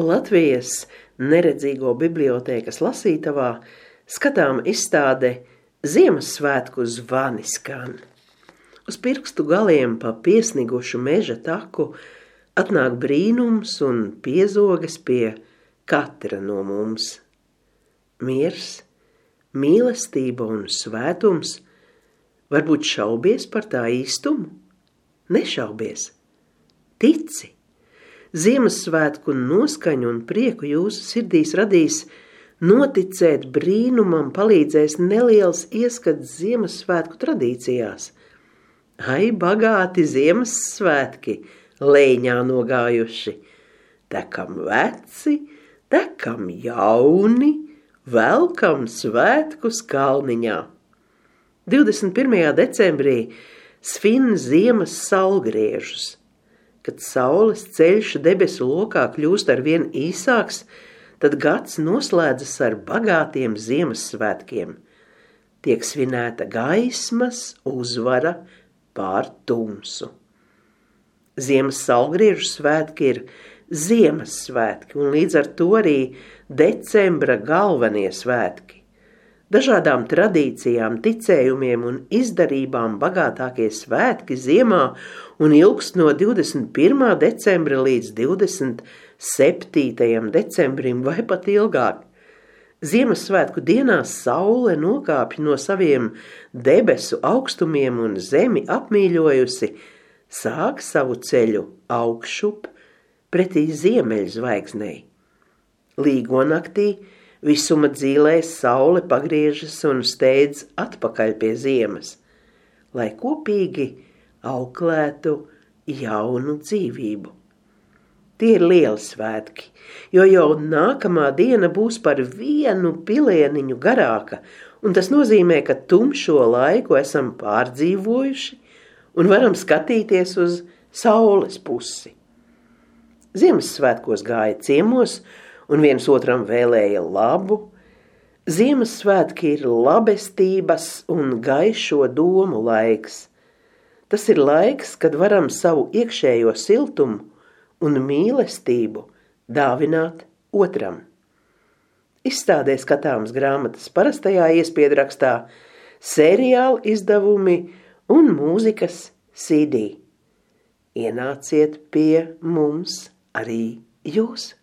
Latvijas neredzīgo bibliotēkas lasītavā skatām izstāde Ziemassvētku zvani skan. Uz pirkstu galiem pa piesnigušu meža taku atnāk brīnums un piezogas pie katra no mums. Miers, mīlestība un svētums. Varbūt šaubies par tā īstumu? Nešaubies. Tici. Ziemassvētku noskaņu un prieku jūsu sirdīs radīs, noticēt brīnumam palīdzēs neliels ieskats Ziemassvētku tradīcijās. Ai, bagāti Ziemassvētki, leņā nogājuši, tekam veci, tekam jauni, velkam svētkus kalniņā. 21. decembrī svin ziemas saulgriežus. Kad saules ceļš debesu lokā kļūst arvien īsāks, tad gads noslēdzas ar bagātiem Ziemassvētkiem. Tiek svinēta gaismas uzvara pār tumsu. Ziemas saulgriežu svētki ir Ziemassvētki un līdz ar to arī decembra galvenie svētki. Dažādām tradīcijām, ticējumiem un izdarībām bagātākie svētki ziemā un ilgst no 21. decembra līdz 27. decembrim vai pat ilgāk. Ziemassvētku dienās saule nokāpj no saviem debesu augstumiem un zemi apmīļojusi, sāk savu ceļu augšup pretī ziemeļzvaigznei. Līgonaktī visuma dzīlēs saule pagriežas un steidz atpakaļ pie ziemas, lai kopīgi auklētu jaunu dzīvību. Tie ir lieli svētki, jo jau nākamā diena būs par vienu pilieniņu garāka, un tas nozīmē, ka tumšo laiku esam pārdzīvojuši un varam skatīties uz saules pusi. Ziemassvētkos gāja ciemos un viens otram vēlēja labu. Ziemassvētki ir labestības un gaišo domu laiks. Tas ir laiks, kad varam savu iekšējo siltumu un mīlestību dāvināt otram. Izstādē skatāmas grāmatas parastajā iespiedrakstā, seriāla izdevumi un mūzikas CD. Ienāciet pie mums arī jūs!